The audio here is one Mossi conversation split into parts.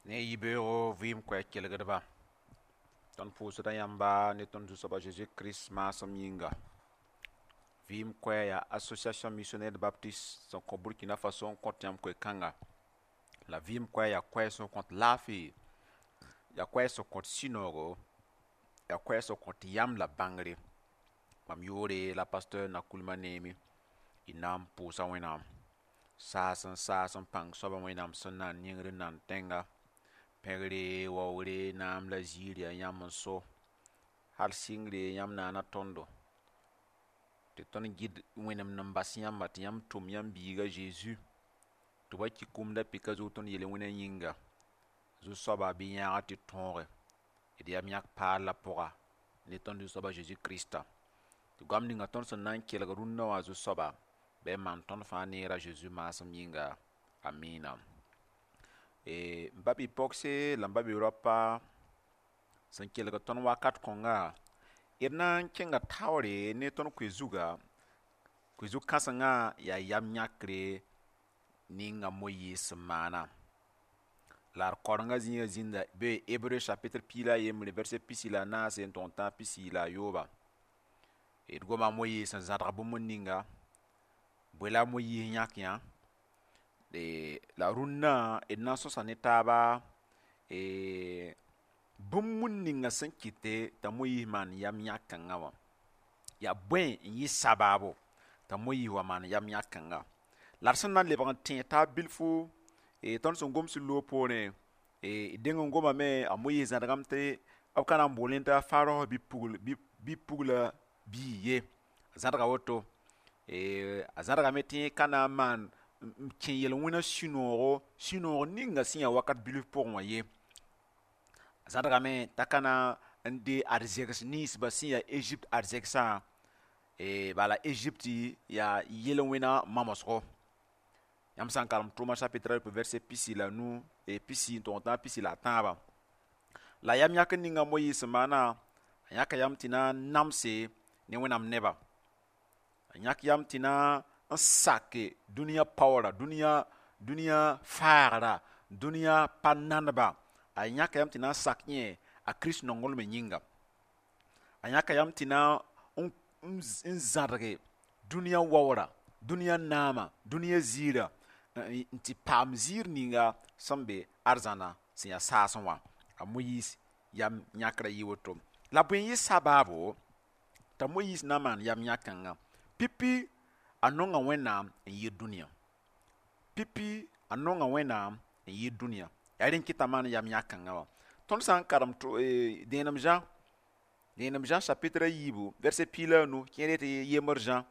Ne yibeoogo vɩɩm koɛɛg kelgdba, tõnd pʋʋsda yãmba ne tõnd Zu-soab a Zeezi Kirist maasem yĩnga. Vɩɩm koɛɛg yaa Association Missionnaire Baptiste sẽn kõ Burkina Faso n kõt yãmb koe-kãnga. La vɩɩm koɛɛg yaa koɛɛg sẽn kõt laafɩ, yaa koɛɛg sẽn kõt sũ-noogo, yaa koɛɛg sẽn kõt yam la bãngre. Mam yʋʋre la pasteur Nakoulma Neemi. Y na n pʋʋsa Wẽnnaam. Saas n saas n pãng soaba Wẽnnaam sẽn na n ningr n nan tẽnga. Pẽgre, waoogre, naam la ziir yaa yãmb n so. Hal sɩngre yãmb naana tõndo. Tɩ tõnd gɩd wẽnem n bas yãmba tɩ yãmb tʋm yãmb biiga Zeezi tɩ b wa ki kũum da pɩka zug tõnd yel-wẽna yĩnga. Zu-soaba bɩ yãaga tɩ tõoge d yam yãk paal la pʋga ne tõnd Zu-soab a Zeezi Krista. Tɩ goam ninga tõnd sẽn na n kelg rũndã wã Zu-soaba bɩ b maan tõnd fãa neer a Zeezi maasem yĩnga. Amina. M ba bi-pogse la m ba bi-raopa sẽn kelg tõnd wakat kõnga, d na n kẽnga taoore ne tõnd koe-zuga. Koe-zug kãsengã yaa yam yãkre ninga Moyiis sẽn maana. La d kaorengã zĩiga zĩnda be Hebreu chapitre 11 verset 44 n tʋg n tãag 43. D goma a Moyiis sẽn zãdg bũmb ninga, bõe la a Moyiis yãk yã. La rũndã d na n sõsa ne taaba bũmb ninga sẽn kɩte t'a Moyiis maan yam yãk-kãngã wã. Yaa bõe n yɩ sabaabo t'a Moyiis wa maan yam yãk-kãnga. La d sẽn na n lebg n tẽeg taab bilfu, tõnd sẽn goms loog poorẽ, d deng n gomame a Moyiis zãdgame tɩ b ka na n bool t'a Farao bi-pugla bii ye. A zãdga woto. A zãdgame tɩ yẽ ka na n maan n kẽ yel-wẽna sũ-noogo, sũ-noog ninga sẽn yaa wakat bilf pʋgẽ wã ye. A zãdgame t'a ka na n dee arzegs ninsba sẽn yaa Egypte arzegsã, bala Egypte yaa yel-wẽna mamsgo. Yãmb sã n karem tʋʋma chapitre a verset 45, pisi n tʋg n tãag 43. La yam yãk ninga Moyiis sẽn maana, a yãka yam tɩ na n namse ne Wẽnnaam neba. A yãk yam tɩ na n sake dũniyã paoora, dũniyã faagra, dũniyã pa naneba. A yãka yam tɩ na n sak yẽ a Kirist nonglmã yĩnga. A yãka yam tɩ na n zãdge dũniyã waoora, dũniyã naama, dũniyã ziirã, n tɩ paam ziir ninga sẽn be arzãna sẽn yaa saasẽ wã. A Moyiis yam yãkrã yɩ woto. La bõe n yɩ sabaabo t'a Moyiis na n maan yam yãk-kãngã? Pipi a nonga Wẽnnaam n yɩɩd dũniyã. Pipi a nonga Wẽnnaam n yɩɩd dũniyã. Yaa rẽ n kɩt t'a maan yam yãk-kãngã wã. Tõnd sã n karem dẽenem Zã, dẽenem Zã chapitre 4 verset 15, kẽer tɩ yembr Zã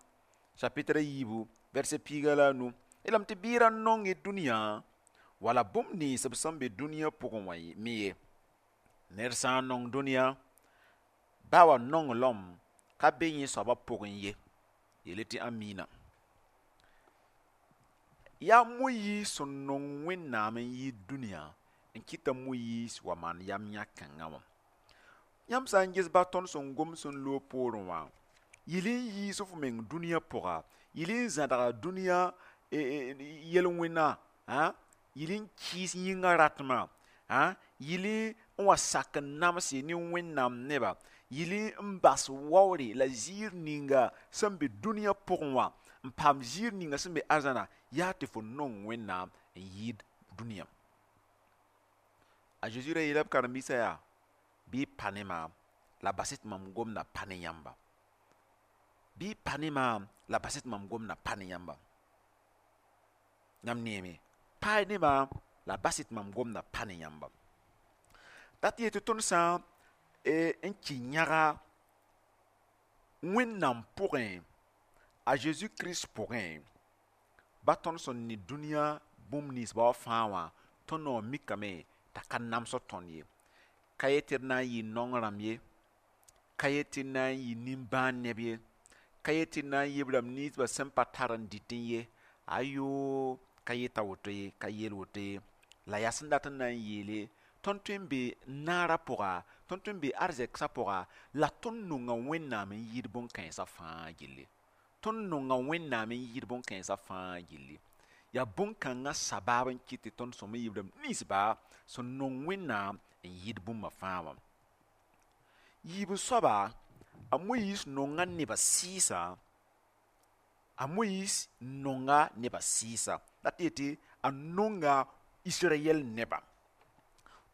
chapitre 4 verset 15. Yeelame tɩ bɩ ra nong y dũniyã wala bũmb nins b sẽn be dũniyã pʋgẽ wã me ye. Ned sã n nong dũniyã, ba wa nonglem ka be yẽ soabã pʋgẽ ye. Yeel tɩ amiina. Yaa Moyiis sẽn nong Wẽnnaam n yɩɩd dũniyã n kɩt t'a Moyiis wa maan yam yãk-kãngã wã. Yãmb sã n ges ba tõnd sẽn goms n loog poorẽ wã, yɩl n yiis f meng dũniyã pʋga, yɩl n zãdga dũniyã yel-wẽna, yɩl n kɩɩs yĩngã ratmã, yɩl n wa sak n namse ne Wẽnnaam neba, yɩl n bas waoore la ziir ninga sẽn be dũniyã pʋgẽ wã, n paam ziir ninga sẽn be arzãna, yaa tɩ fo nong Wẽnnaam n yɩɩd dũniyã. A Zeezi ra yeela b karen-biisã yaa, bɩ y pa ne maam la bas-y tɩ mam gomda pa ne yãmba. Bɩ y pa ne maam la bas-y tɩ mam gomda pa ne yãmba. Yãmb neeme, paay ne maam la bas-y tɩ mam gomda pa ne yãmba. Dat yetɩ tõnd sã n kɩ yãga Wẽnnaam pʋgẽ, a Zeezi Kirist pʋgẽ, ba tõnd sẽn ne dũniyã bũmb ninsba wã fãa wã, tõnd naoor mikame t'a ka namsd tõnd ye. Ka yet tɩ d na n yɩ naong rãmb ye, ka yet tɩ d na n yɩ nimbãan neb ye, ka yet tɩ d na n yɩ b rãmb ninsba sẽn pa tar n dɩtẽ ye. Ayo, ka yeta woto ye, ka yeel woto ye. La yaa sẽn dat n na n yeele, tõnd tõe n be naara pʋga, tõnd tõe n be arzegsã pʋga, la tõnd nonga Wẽnnaam n yɩɩd bõn-kãensã fãa gilli. Tõnd nonga Wẽnnaam n yɩɩd bõn-kãensã fãa gilli. Yaa bõn-kãngã sabaab n kɩt tɩ tõnd sõm n yiib rãmb ninsba sẽn nong Wẽnnaam n yɩɩd bũmba fãa wã. Yiib soaba, a Moyiis nonga nebã sɩɩsã, a Moyiis nonga nebã sɩɩsã. La tɩ yetɩ a nonga Israyɛl nebã.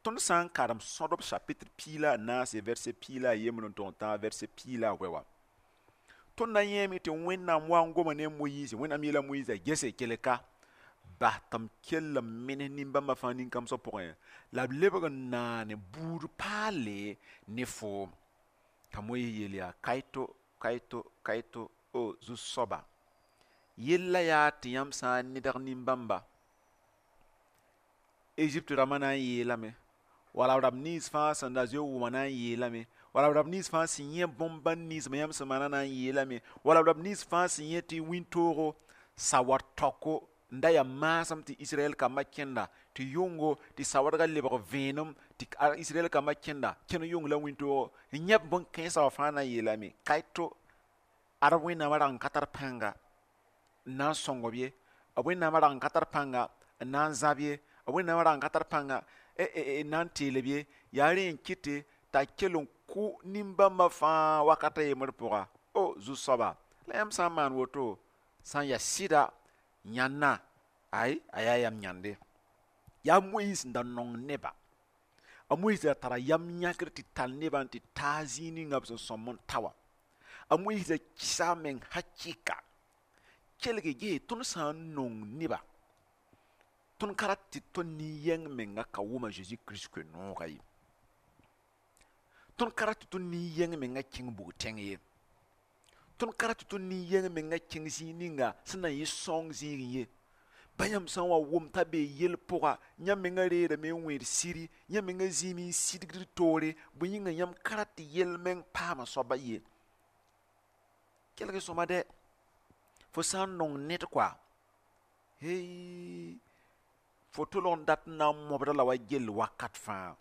Tõnd sã n karem sõdb chapitre 14 verset 13 n tog n tãag verset 18 wã. Tõnd na yẽeme tɩ Wẽnnaam wa n goma ne a Moyiis, Wẽnnaam yeela Moyiis yaa gese kelka bas tɩ m kell n menes nin-bãmbã fãa nin-kãmsã pʋgẽ la b lebg n naane buud paale ne foom. T'a Moyiis yeel yaa kaito, kaito, kaito, o zu-soaba, yella yaa tɩ yãmb sã n nedg nin-bãmba Egypte rãmbã na n yeelame, wala b rãmb nins fãa sẽn da zoe wʋma na n yeelame, wala b rãmb nins fãa sẽn yẽ bõn-bãn ninsbã yãmb sẽn maana na n yeelame, wala b rãmb nins fãa sẽn yẽ tɩ wĩntoogo sawar taoko n da yaa maasem tɩ Israɛl kambã kẽnda, tɩ yʋngo tɩ sawadgã lebg vẽenem tɩ Israɛl kambã kẽnda, kẽn yʋng la wĩntoogo n yẽ bõn-kãensã wã fãa na n yeelame, kaito ad Wẽnnaamã rag n ka tar pãnga n na n sõng b ye, b Wẽnnaamã rag n ka tar pãnga n na n zãb ye, b Wẽnnaamã rag n ka tar pãnga n na n teel b ye, yaa rẽ n kɩte t'a kell n kʋ nin-bãmbã fãa wakat a yembr pʋga. O zu-soaba, la yãmb sã n maan woto sã n yaa sɩda yãnna, ay a yaa yam yãnde. Yaa Moyiis n da nong neba. A Moyiis da tara yam yãkr tɩ tall nebã n tɩ taa zĩig ninga b sẽn sõm n ta wã. A Moyiis da kɩsa a meng hakɩka. Kelge gee tõnd sã n nong neba, tõnd ka rat tɩ tõnd nin-yɛng menga ka wʋm a Zeezi Kirist koe-noogã ye. Tõnd ka rat tɩ tõnd nin-yɛng menga kẽng bug-tẽng ye. Tõnd ka rat tɩ tõnd nin-yɛng menga kẽng zĩig ninga sẽn na n yɩ sõng zĩigẽ ye. Ba yãmb sã n wa wʋm t'a bee yel pʋga, yãmb menga reerame n wẽed siri, yãmb menga zĩime n sidgd toore, bõe yĩnga yãmb ka rat tɩ yel meng paama soaba ye. Kelg sõma dɛ, fo sã n nong ned koa, hey, fo tolg n dat n na n mobda la wa gell wakat fãa.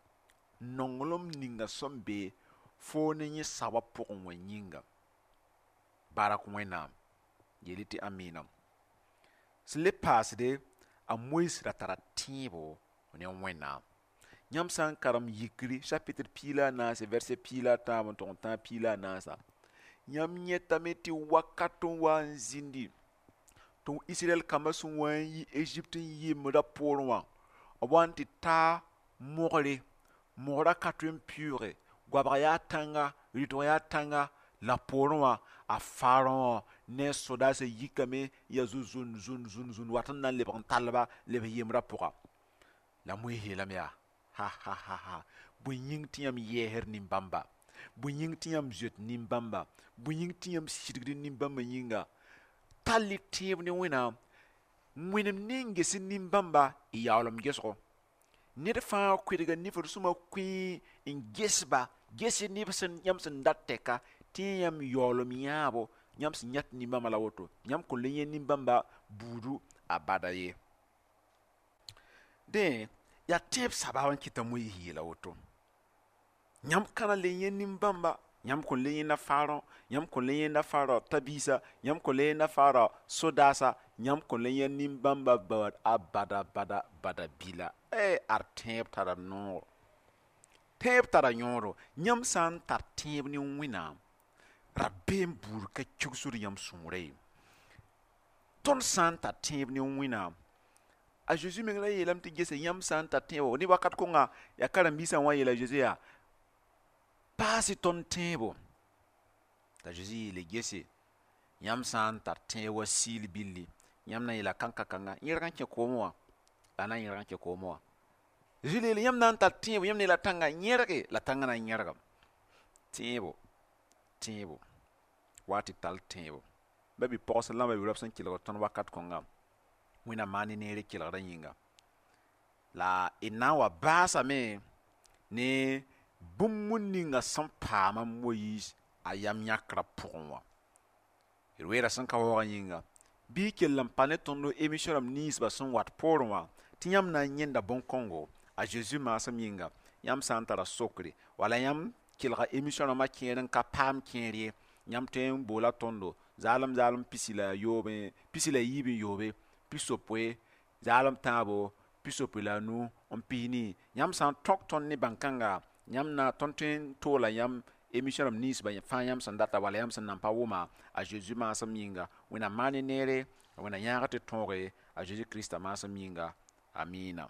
Nonglem ninga sẽn be foo ne yẽ saoowã pʋgẽ wã yĩnga. Barak Wẽnnaam, yeel tɩ amina. Sẽn le paasde, a Moyiis ra tara tẽebo ne Wẽnnaam. Yãmb sã n karem yikri chapitre 14 verset 13 n tog n tãag 14, yãmb yẽtame tɩ wakat n wa n zĩndi tɩ Israɛl kambã sẽn wa n yi Egypte n yembdã poorẽ wã, b wa n tɩ taa mogre, mogrã ka tõe n pɩʋʋge, goabg yaa tãnga, rɩtg yaa tãnga, la poorẽ wã a Faarõ ne a sodaasã yikame n yaa zu-zũn zũn zũn zũn wat n na n lebg n tall-ba leb yembrã pʋga. La Moyiis yeelame yaa ha ha ha ha, bõe yĩng tɩ yãmb yɛɛsd nin-bãmba, bõe yĩng tɩ yãmb zoet nin-bãmba, bõe yĩng tɩ yãmb sidgd nin-bãmbã yĩnga, tall y tẽeb ne Wẽnnaam. Wẽnem ne n ges nin-bãmba y yaool m gesgo. Ned fãa koɛɛga nifd sõma kũii n ges-ba, ges neb sẽn yãmb sẽn dat tɛka tɩ yãmb yaoolem yãabo, yãmb sẽn yãt nin-bãmba la woto, yãmb kõn le yẽ nin-bãmba buudu a bada ye. Dẽ yaa tẽeb sabaab n kɩt t'a Moyiis yeela woto. Yãmb ka na le yẽ nin-bãmba, yãmb kõn le yẽnda Faarõ, yãmb kõn le yẽnda Faarõ ta-biisa, yãmb kõn le yẽnda Faarõ sodaasa, yãmb kõn le yẽ nin-bãmba baood a bada bada bada bila. Ad tẽeb tara noor. Tẽeb tara yõodo. Yãmb sã n tar tẽeb ne Wẽnnaam, rabeem buud ka kigsd yãmb sũurã ye. Tõnd sã n tar tẽeb ne Wẽnnaam, a Zeezi meng la yeelame tɩ gese yãmb sã n tar tẽebo ne wakat kõnga yaa karen-biisã wã yeela Zeezi yaa paas-y tõnd tẽebo. T'a Zeezi yeele gese yãmb sã n tar tẽeb wa siil billi, yãmb na n yeela kãn-ka-kãnga yẽrg n kẽ koomẽ wã, la na n yẽrg n kẽ koomẽ wã. Zeezi le yeele yãmb na n tar tẽebo, yãmb na yeela tãngã yẽrge, la tãngã na n yẽrgame. Tẽebo, tẽebo, wa tɩ tall tẽebo. Ba bi-pogs la ba bi-raob sẽn kelgd tõnd wakat kõnga, Wẽnnaam maan ne neere kelgdã yĩnga. La d na n wa baasame ne bũmb ninga sẽn paam a Moyiis a yam yãkrã pʋgẽ wã. D weera sẽn ka waoogã yĩnga, bɩ y kell n pa ne tõnd émission rãmb ninsbã sẽn wat poorẽ wã, tɩ yãmb na n yẽnda bõn-kõngo a Zeezi maasem yĩnga, yãmb sã n tara sokre, wala yãmb kelga émission rãmbã kẽer n ka paam kẽer ye, yãmb tõe n boola tõndo zaalem zaalem pisi la yoobe, pisi la yiib n yoobe, pisopoe Zaalem tãabo 65. Yãmb sã n tõk tõnd ne bãn-kãnga, yãmb na tõnd tõe n toola yãmb émission rãmb nins fãa yãmb sẽn data wala yãmb sẽn nan pa wʋma a Zeezi maasem yĩnga. Wẽnnaam maan ne neere, Wẽnnaam yãag tɩ tõoge a Zeezi Krista maasem yĩnga. Amiina.